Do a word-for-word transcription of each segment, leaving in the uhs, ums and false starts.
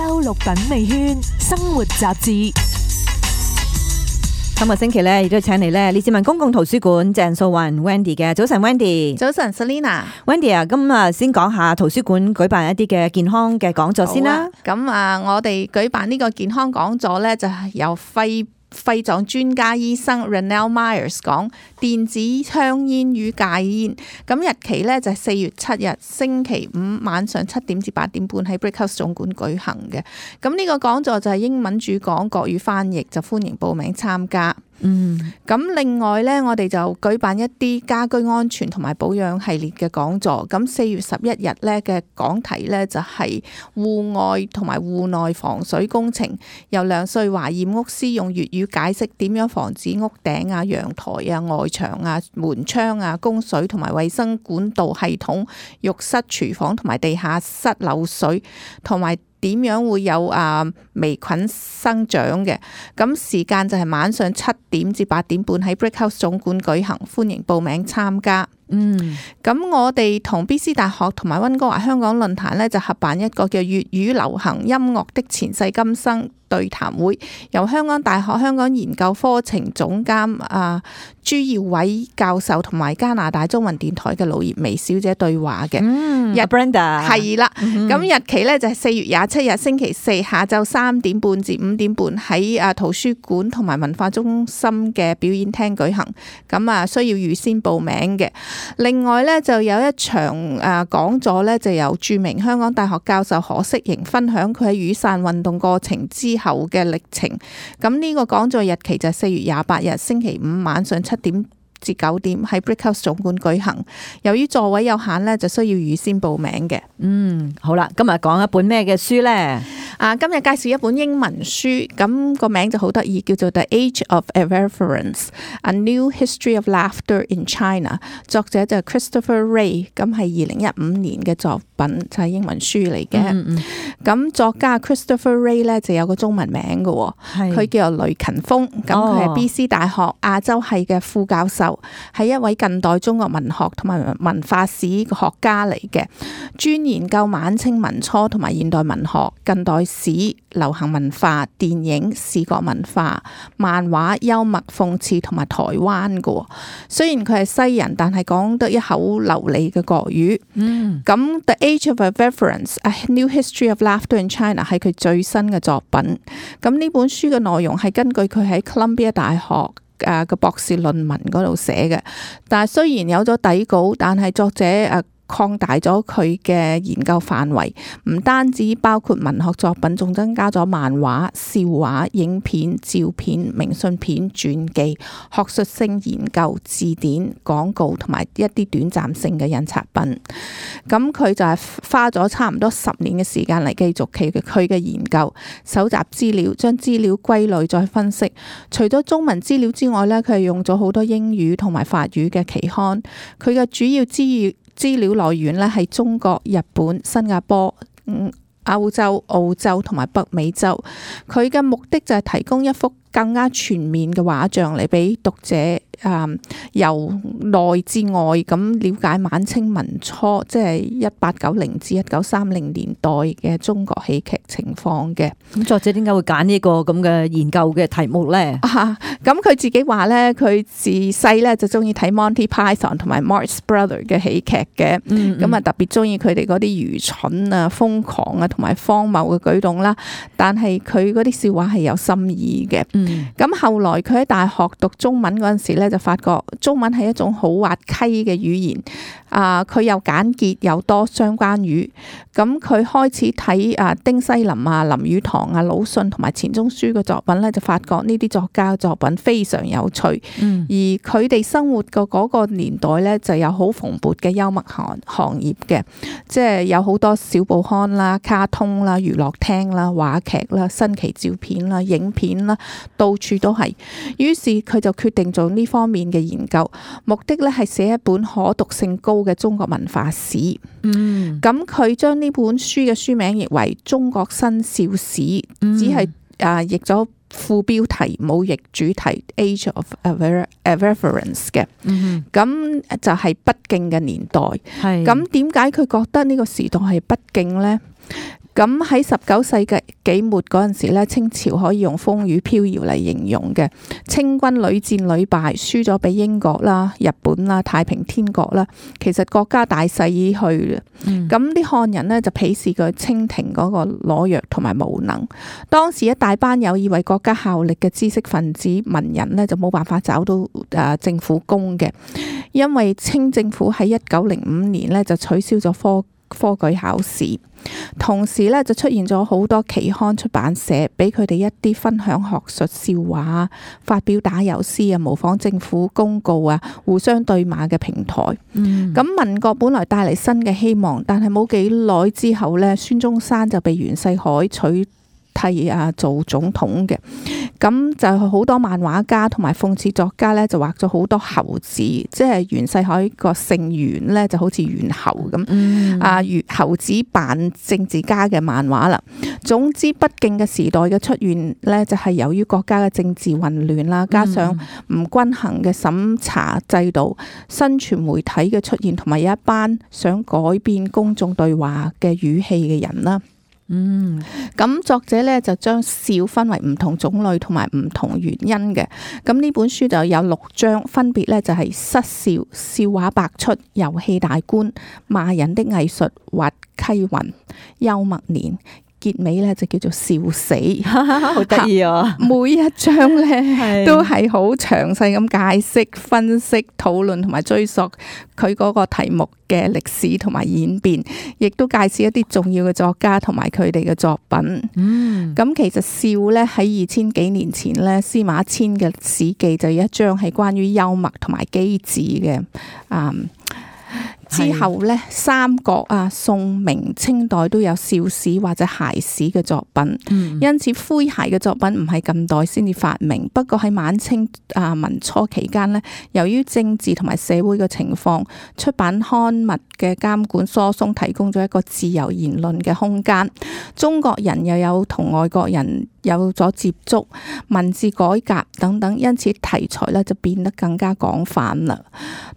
周六品味圈生活雜誌。今個星期咧，亦都請嚟咧，列治文公共圖書館鄭素雲 Wendy 嘅。早晨 Wendy。早晨 Selina。Wendy 啊，咁啊，先講下圖書館舉辦一啲嘅健康嘅講座先啦。咁啊，我哋舉辦呢個健康講座咧，就係由肺肺臟專家醫生 Ronald Myers 講電子香煙與戒煙。咁日期咧就係四月七日星期五晚上七點至八點半喺 Brick House 總館舉行嘅。咁呢個講座就係英文主講，國語翻譯，就歡迎報名參加。嗯，咁另外咧，我哋就舉辦一啲家居安全同埋保養系列嘅講座。咁四月十一日咧嘅講題咧就係戶外同埋戶內防水工程，由梁瑞華驗屋師用粵語解釋點樣防止屋頂啊、陽台啊、外牆啊、門窗啊、供水同埋衛生管道系統、浴室、廚房同埋地下室漏水，同埋點樣會有啊微菌生長嘅。咁時間就係晚上七點至八點半喺 Brick House 總館舉行，歡迎報名參加。嗯，咁我哋同 B C 大學同埋溫哥華香港論壇咧就合辦一個叫粵語流行音樂的前世今生對談會，由香港大學香港研究課程總監啊朱耀偉教授同埋加拿大中文電台嘅盧葉薇小姐對話嘅。嗯，日 Brenda 係啦，咁日期咧就係四月廿七日星期四下晝三點半至五點半喺啊圖書館同埋文化中心嘅表演廳舉行。咁啊需要預先報名嘅。另外咧就有一場誒講座咧，就由著名香港大學教授何式凝分享佢喺雨傘運動過程之後嘅歷程。咁呢個講座日期就係四月廿八日星期五晚上七點至九點喺 Brick House 總館舉行。由於座位有限咧，就需要預先報名嘅。嗯，好啦，今日講一本咩嘅書咧？啊，今日介紹一本英文書，咁個名就好得意，叫做 The Age of Irreverence: A New History of Laughter in China。作者就係 Christopher Wray， 咁係二零一五年嘅作品，就係英文書嚟嘅。咁、嗯嗯、作家 Christopher Wray 咧就有個中文名嘅，佢叫做雷勤峰。咁佢係 B C 大學亞洲系嘅副教授，係一位近代中國文學同埋文化史學家嚟嘅，專研究晚清民初同埋現代文學、近代史、流行文化、電影、視覺文化、漫畫、幽默、諷刺同埋台灣嘅。雖然佢係西人，但係講得一口流利嘅國語。嗯，咁 The Age of Irreverence: A New History of Laughter in China 係佢最新嘅作品。咁呢本書嘅內容係根據佢喺 Columbia 大學誒嘅博士論文嗰度寫嘅。但係雖然有咗底稿，但係作者誒擴大咗佢嘅研究範圍，唔單止包括文學作品，仲增加咗漫畫、笑話、影片、照片、明信片、傳記、學術性研究、字典、廣告同埋一啲短暫性嘅印刷品。咁佢就係花咗差唔多十年嘅時間嚟繼續佢嘅佢嘅研究，搜集資料，將資料歸類再分析。除咗中文資料之外呢，佢係用咗好多英語同埋法語嘅期刊。佢嘅主要資料資料來源咧係中國、日本、新加坡、嗯、歐洲、澳洲同埋北美洲。佢嘅目的就係提供一幅更加全面嘅畫像嚟俾讀者啊、嗯，由內至外咁了解晚清民初，即係一八九零至一九三零年代嘅中國戲劇情況嘅。咁作者點解會揀呢個咁嘅研究嘅題目咧？啊，咁佢自己話咧，佢自細咧就中意睇 Monty Python 同埋 Marx Brothers 嘅喜劇嘅，咁啊、嗯嗯、特別中意佢哋嗰啲愚蠢啊、瘋狂啊同埋荒謬嘅舉動啦。但係佢嗰啲笑話係有深意嘅。咁、嗯、後來佢喺大學讀中文嗰陣時咧，就發覺中文係一種好滑稽嘅語言。啊，佢又簡潔又多相關語。咁佢開始睇啊丁西林啊、林語堂啊、魯迅同埋錢鍾書嘅作品咧，就發覺呢啲作家嘅作品非常有趣。嗯、而佢哋生活嘅嗰個年代咧，就有好蓬勃嘅幽默行行業嘅，即係有好多小報刊啦、卡通啦、娛樂廳啦、話劇啦、新奇照片啦、影片啦，到處都係。於是佢就決定做呢方面嘅研究，目的咧係寫一本可讀性高嘅中國文化史。嗯，咁佢將呢本書嘅書名譯為《中國新笑史》，嗯、只係啊譯咗副標題，冇譯主題 Age of Irreverence 嘅。嗯，咁就係不敬嘅年代。係，咁點解佢覺得呢個時代係不敬呢？咁喺十九世紀末嗰陣時咧，清朝可以用風雨飄搖嚟形容嘅。清軍屢戰屢敗，輸咗俾英國啦、日本啦、太平天國啦。其實國家大勢已去啦。咁啲漢人呢，就鄙視佢清廷嗰個懦弱同埋無能。當時一大班有意為國家效力嘅知識分子文人呢，就冇辦法找到誒政府工嘅，因為清政府喺一九零五年呢，就取消咗科科舉考試。同時咧就出現咗好多期刊出版社，俾佢哋一啲分享學術笑話啊、發表打油詩啊、模仿政府公告啊、互相對罵嘅平台。咁、嗯、民國本來帶嚟新嘅希望，但係冇幾耐之後咧，孫中山就被袁世凱取替啊做總統嘅。咁就好多漫畫家同埋諷刺作家咧，就畫咗好多猴子，即係袁世凱個姓袁咧，就好似猿猴咁。嗯、啊，猴子扮政治家嘅漫畫啦。總之，不敬嘅時代嘅出現咧，就係由於國家嘅政治混亂啦，加上唔均衡嘅審查制度、新傳媒體嘅出現，同埋有一班想改變公眾對話嘅語氣嘅人啦。嗯，咁作者咧就將笑分為唔同種類同埋唔同原因嘅。咁呢本書就有六章，分別咧就係失笑、笑話百出、遊戲大觀、罵人的藝術、滑稽雲、幽默年。結尾咧就叫做笑死，好得意啊！每一章咧都係好詳細咁解釋、分析、討論同埋追溯佢嗰個題目嘅歷史同埋演變，亦都介紹一啲重要嘅作家同埋佢哋嘅作品。嗯，咁其實笑咧喺二千幾年前咧，司馬遷嘅《史記》就有一章係關於幽默同埋機智嘅。嗯。之後咧，三國啊、宋、明、清代都有笑史或者諧史嘅作品，嗯、因此詼諧嘅作品唔係近代先至發明。不過喺晚清啊民初期間咧，由於政治同埋社會嘅情況，出版刊物嘅監管疏鬆，提供咗一個自由言論嘅空間。中國人又有同外國人有咗接觸，文字改革等等，因此題材咧就變得更加廣泛啦。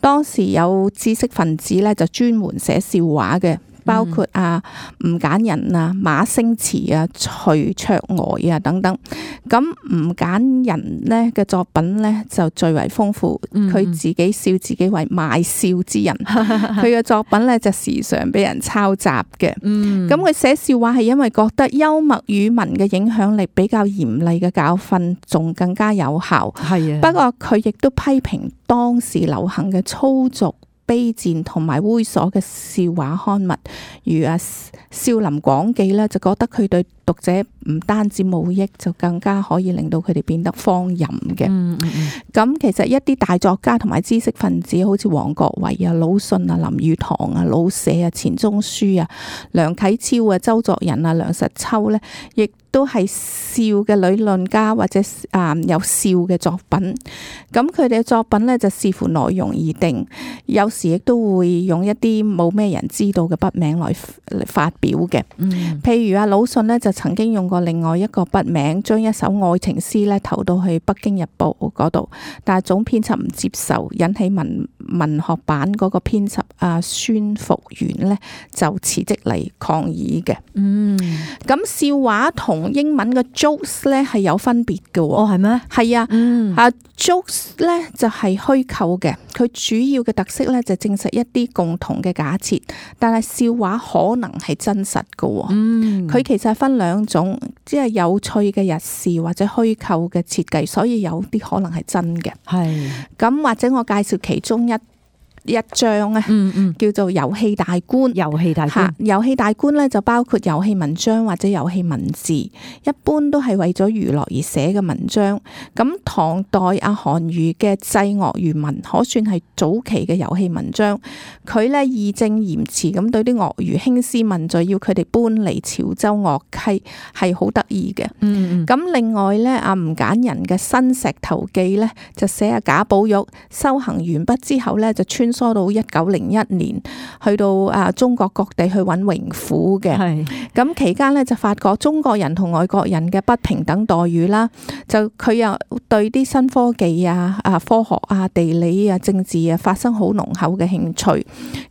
當時有知識分子咧就專門寫笑話嘅，包括啊吳簡仁啊、馬星馳啊、徐卓呆啊等等。咁吳簡仁咧嘅作品咧就最為豐富，佢自己笑自己為賣笑之人。佢嘅作品咧就時常俾人抄襲嘅。咁佢寫笑話係因為覺得幽默語文嘅影響力比較嚴厲嘅教訓仲更加有效。係啊，不過佢亦都批評當時流行嘅粗俗、卑賤同埋猥瑣嘅笑話刊物，如啊少林廣記咧，就覺得佢對讀者唔單止冇益，就更加可以令到佢哋變得荒淫嘅。咁、嗯嗯、其實一啲大作家同埋知識分子，好似王國維啊、魯迅啊、林語堂啊、老舍啊、錢鍾書啊、梁啟超啊、周作人啊、梁實秋咧，亦都係笑嘅理論家或者啊有笑嘅作品。咁佢哋嘅作品咧就視乎內容而定，有時亦都會用一啲冇咩人知道嘅筆名來嚟發表嘅。嗯、譬如啊魯迅咧就曾經用過另外一個筆名，將一首愛情詩咧投到去《北京日報》嗰度，但係總編輯唔接受，引起文文學版嗰個編輯啊孫福元咧就辭職嚟抗議嘅。嗯，咁笑話同英文嘅 jokes 咧係有分別嘅。哦，係咩？係啊，嗯、啊 jokes 咧就係虛構嘅，佢主要嘅特色咧就證實一啲共同嘅假設，但係笑話可能係真實嘅。嗯，佢其實係分兩種，即係有趣嘅日事或者虛構嘅設計，所以有啲可能係真嘅。係，咁或者我介紹其中一一章啊，嗯嗯，叫做遊戲大觀。遊戲大觀，遊戲大觀咧就包括遊戲文章或者遊戲文字，一般都係為咗娛樂而寫嘅文章。咁唐代阿韓愈嘅《祭樂漁民》可算係早期嘅遊戲文章。佢咧義正言辭咁對啲鱷魚興師問罪，要佢哋搬離潮州樂溪，係好得意嘅。嗯，咁另外咧，阿吳簡仁嘅《新石頭記》咧就寫阿賈寶玉修行完畢之後咧就穿梭到一九零一年，去到啊中國各地去揾榮府嘅。係咁期間咧就發覺中國人同外國人嘅不平等待遇啦，就佢又對啲新科技啊、啊科學啊、地理啊、政治啊發生好濃厚嘅興趣。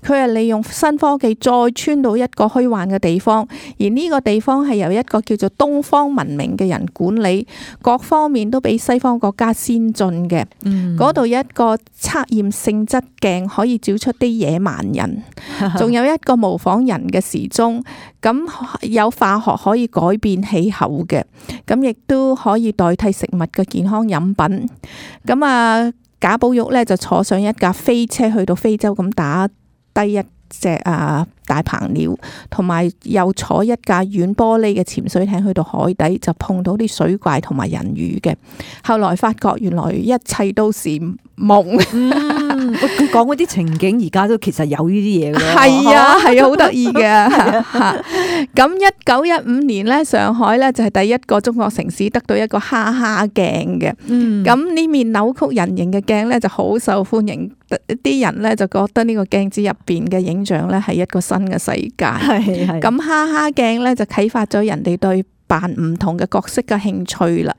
佢係利用新科技再穿到一個虛幻嘅地方，而呢個地方係由一個叫做東方文明嘅人管理，各方面都比西方國家先進嘅。嗰度有一個測驗性質鏡可以照出啲野蠻人，仲有一個模仿人嘅時鐘，咁有化學可以改變氣候嘅，咁亦都可以代替食物嘅健康飲品。咁啊，賈寶玉咧就坐上一架飛車去到非洲，咁打低一隻啊大鵬鳥，同埋又坐一架軟玻璃嘅潛水艇去到海底，就碰到啲水怪同埋人魚嘅。後來發覺原來一切都是夢。嗯，佢講嗰啲情景而家都其實有呢啲嘢嘅。係啊，係啊，好得意嘅。咁一九一五年咧，上海咧就係第一個中國城市得到一個哈哈鏡嘅。咁呢面扭曲人形嘅鏡咧就好受歡迎，啲人咧就覺得呢個鏡子入邊嘅影像咧係一個新嘅世界。係係。咁哈哈鏡咧就啟發咗人哋對扮唔同嘅角色嘅興趣啦。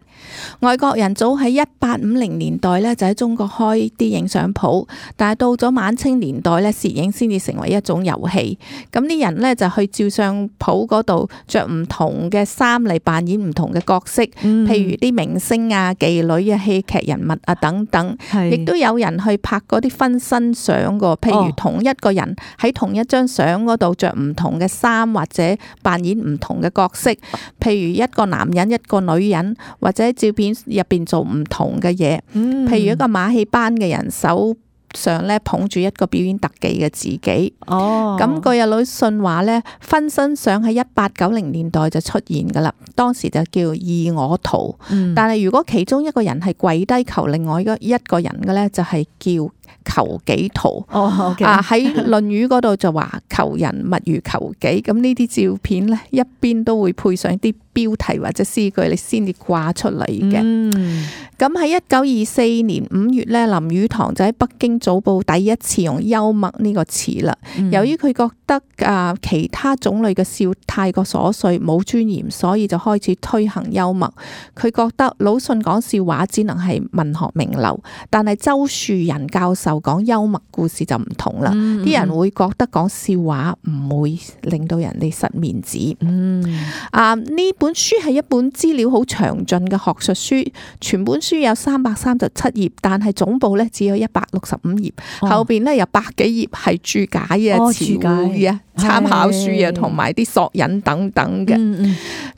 外國人早喺一八五零年代咧就喺中國開啲影相鋪，但係到咗晚清年代咧，攝影先至成為一種遊戲。咁啲人咧就去照相鋪嗰度着唔同嘅衫嚟扮演唔同嘅角色，嗯、譬如啲明星啊、妓女啊、戲劇人物啊等等。亦都有人去拍嗰啲分身相個，譬如同一個人喺同一張相嗰度着唔同嘅衫，或者扮演唔同嘅角色，譬如一個男人、一個女人，或者照片入邊做唔同嘅嘢，嗯、譬如一個馬戲班嘅人手上咧捧住一個表演特技嘅自己。哦，咁據有魯迅話咧，分身相喺一八九零年代就出現噶啦，當時就叫二我圖。嗯、但係如果其中一個人係跪低求另外一個人嘅咧，就係叫求己圖。哦 okay、啊喺《論語》嗰度就話求人勿如求己。咁呢啲照片咧，一邊都會配上啲標題或者詩句，你先至掛出嚟嘅。咁喺一九二四年五月咧，林語堂就喺北京早報第一次用幽默呢個詞啦。嗯、由於佢覺得啊其他種類嘅笑太過瑣碎冇尊嚴，所以就開始推行幽默。佢覺得魯迅講笑話只能係文學名流，但係周樹人教授講幽默故事就唔同啦。啲、嗯嗯、人會覺得講笑話唔會令到人哋失面子。嗯、啊呢本書係一本資料好詳盡嘅學術書，全本書有三百三十七頁，但係總部咧只有一百六十五頁，哦、後邊咧有百幾頁係注解啊、詞彙啊、參考書啊，同埋啲索引等等嘅。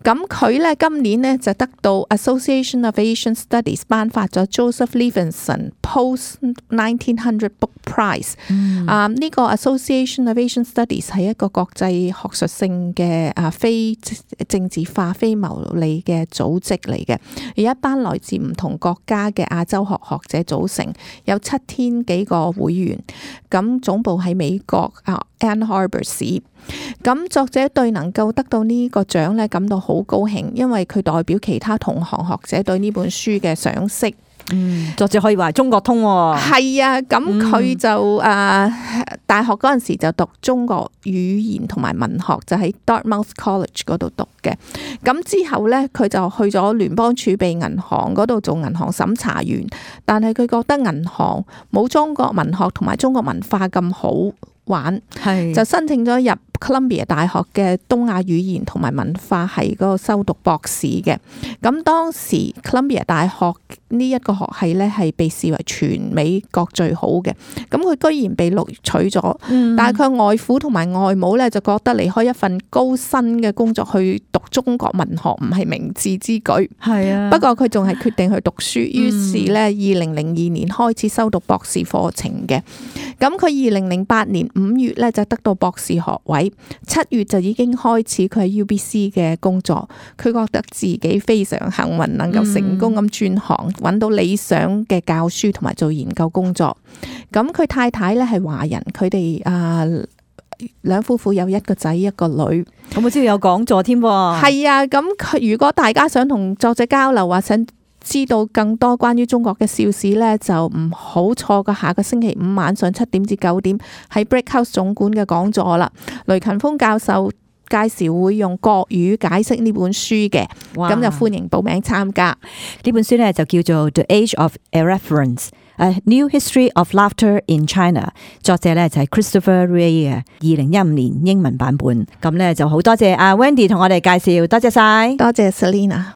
咁佢咧今年咧就得到 Association of Asian Studies 頒發咗 Joseph Levenson Post nineteen hundred Book Prize。嗯、啊呢、這個 Association of Asian Studies 係一個國際學術性嘅啊非政治化、非牟利嘅組織嚟嘅，有一班來自唔同國家嘅亞洲學學者組成，有七千幾個會員。咁總部喺美國啊 Ann Arbor 市。咁作者對能夠得到呢個獎咧感到好高興，因為佢代表其他同行學者對呢本書嘅賞識。嗯，作者可以話中國通喎。係啊，咁佢就誒、嗯呃、大學嗰陣時就讀中國語言同埋文學，就喺 Dartmouth College 嗰度讀嘅。咁之後咧，佢就去咗聯邦儲備銀行嗰度做銀行審查員，但係佢覺得銀行冇中國文學同埋中國文化咁好玩，是就申請咗入 Columbia 大學嘅東亞語言同埋文化系嗰個修讀博士嘅。咁當時 Columbia 大學呢一個學系咧係被視為全美國最好嘅。咁佢居然被錄取咗，嗯、但係佢外父同埋外母咧就覺得離開一份高薪嘅工作去讀中國文學唔係明智之舉。係啊，不過佢仲係決定去讀書，於是咧二零零二年開始修讀博士課程嘅。咁佢二零零八年五月咧就得到博士學位，七月就已經開始佢喺 U B C 嘅工作。佢覺得自己非常幸運，能夠成功咁轉行，揾到理想嘅教書同埋做研究工作。咁佢太太咧係華人，佢哋啊兩夫婦有一個仔一個女。咁我知道有講座添喎。係啊，咁佢如果大家想同作者交流或想知道更多關於中國嘅笑史呢，就唔好錯過下個星期五晚上七點至九點喺 Brickhouse 總館嘅講座啦。雷勤鋒教授介紹會用國語解釋呢本書嘅，咁就歡迎報名參加。呢本書呢就叫做 The Age of Irreverence。A New History of Laughter in China， 作者咧就係 Christopher Wray 嘅，二零一五年英文版本。咁咧就好多謝阿 Wendy 同我哋介紹，多謝晒，多謝 Selina。